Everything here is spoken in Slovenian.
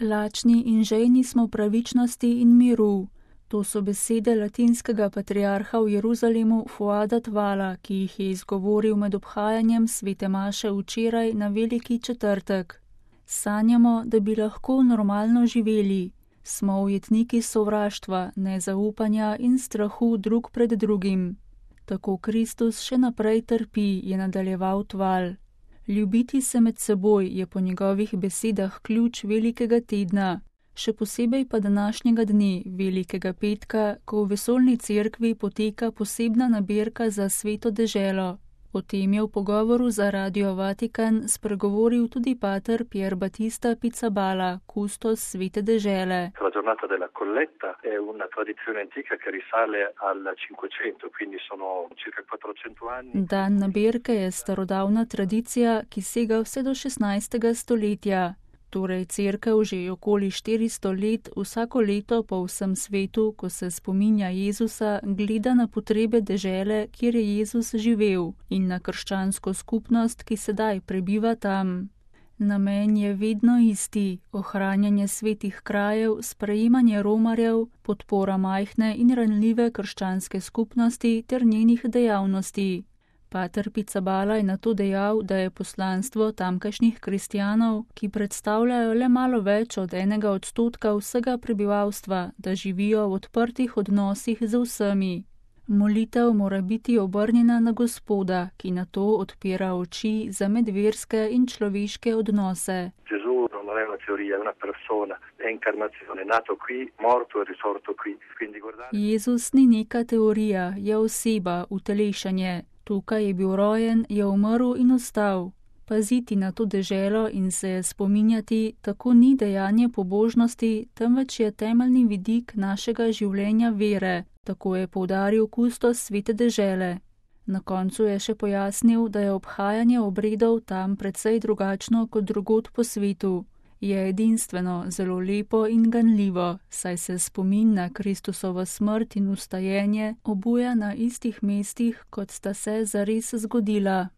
Lačni in žejni smo pravičnosti in miru. To so besede latinskega patriarha v Jeruzalemu Fuada Tvala, ki jih je izgovoril med obhajanjem svete maše včeraj na Veliki četrtek. Sanjamo, da bi lahko normalno živeli. Smo ujetniki sovraštva, nezaupanja in strahu drug pred drugim. Tako Kristus še naprej trpi, je nadaljeval Tval. Ljubiti se med seboj je po njegovih besedah ključ velikega tedna, še posebej pa današnjega dne, Velikega petka, ko v vesoljni cerkvi poteka posebna nabirka za sveto deželo. O tem je v pogovoru za Radio Vatikan spregovoril tudi pater Pier Battista Pizzaballa, kustos svete dežele. La giornata della colletta è una tradizione antica che risale al 500, quindi sono circa 400 anni. Dan nabirke je starodavna tradicija, ki sega vse do 16. stoletja. Torej cerkev že okoli 400 let vsako leto po vsem svetu, ko se spominja Jezusa, gleda na potrebe dežele, kjer je Jezus živel, in na krščansko skupnost, ki sedaj prebiva tam. Namen je vedno isti: ohranjanje svetih krajev, sprejemanje romarjev, podpora majhne in ranljive krščanske skupnosti ter njenih dejavnosti. Pater Pizzaballa je nato dejal, da je poslanstvo tamkajšnjih kristjanov, ki predstavljajo le malo več od 1% vsega prebivalstva, da živijo v odprtih odnosih z vsemi. Molitev mora biti obrnjena na Gospoda, ki nato odpira oči za medverske in človeške odnose. Non è una teoria, è una persona, è incarnazione, nato qui, morto e risorto qui. Quindi guardate. Jezus ni neka teorija, je oseba, utelešanje. Tukaj je bil rojen, je umrl in ostal. Paziti na to deželo in se je spominjati, tako ni dejanje pobožnosti, temveč je temeljni vidik našega življenja vere, tako je poudaril kustos svete dežele. Na koncu je še pojasnil, da je obhajanje obredov tam precej drugačno kot drugod po svetu. Je edinstveno, zelo lepo in ganljivo, saj se spomin na Kristusovo smrt in vstajenje obuja na istih mestih, kot sta se zares zgodila.